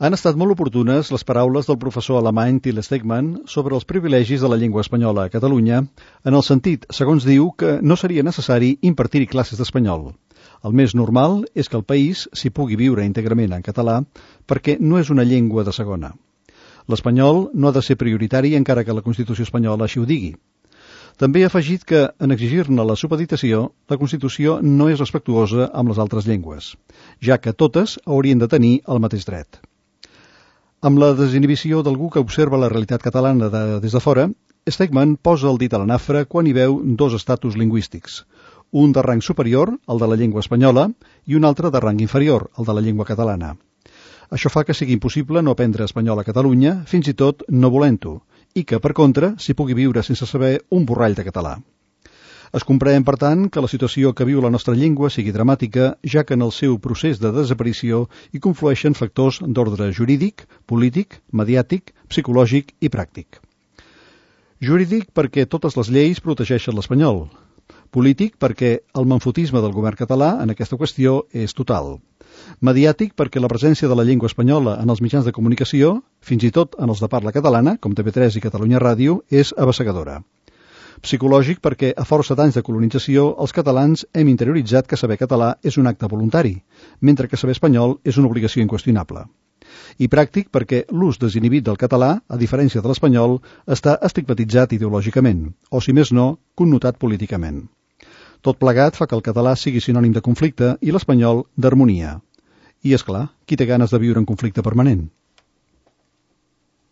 Han estat molt oportunes les paraules del professor alemany Till Stegmann sobre els privilegis de la llengua espanyola a Catalunya, en el sentit, segons diu, que no seria necessari impartir-hi classes d'espanyol. El més normal és que el país s'hi pugui viure íntegrament en català perquè no és una llengua de segona. L'espanyol no ha de ser prioritari encara que la Constitució espanyola així ho digui. També ha afegit que, en exigir-ne la supeditació, la Constitució no és respectuosa amb les altres llengües, ja que totes haurien de tenir el mateix dret. Amb la desinhibició d'algú que observa la realitat catalana des de fora, Stegmann posa el dit a la nafra quan hi veu dos estatus lingüístics, un de rang superior, el de la llengua espanyola, i un altre de rang inferior, el de la llengua catalana. Això fa que sigui impossible no aprendre espanyol a Catalunya, fins i tot no volent-ho, i que, per contra, s'hi pugui viure sense saber un borrall de català. Es comprèn, per tant, que la situació que viu la nostra llengua sigui dramàtica, ja que en el seu procés de desaparició hi conflueixen factors d'ordre jurídic, polític, mediàtic, psicològic i pràctic. Jurídic perquè totes les lleis protegeixen l'espanyol. Polític perquè el manfotisme del govern català en aquesta qüestió és total. Mediàtic perquè la presència de la llengua espanyola en els mitjans de comunicació, fins i tot en els de parla catalana, com TV3 i Catalunya Ràdio, és abassegadora. Psicològic perquè, a força d'anys de colonització, els catalans hem interioritzat que saber català és un acte voluntari, mentre que saber espanyol és una obligació inqüestionable. I pràctic perquè l'ús desinhibit del català, a diferència de l'espanyol, està estigmatitzat ideològicament, o, si més no, connotat políticament. Tot plegat fa que el català sigui sinònim de conflicte i l'espanyol d'harmonia. I, és clar, qui té ganes de viure en conflicte permanent?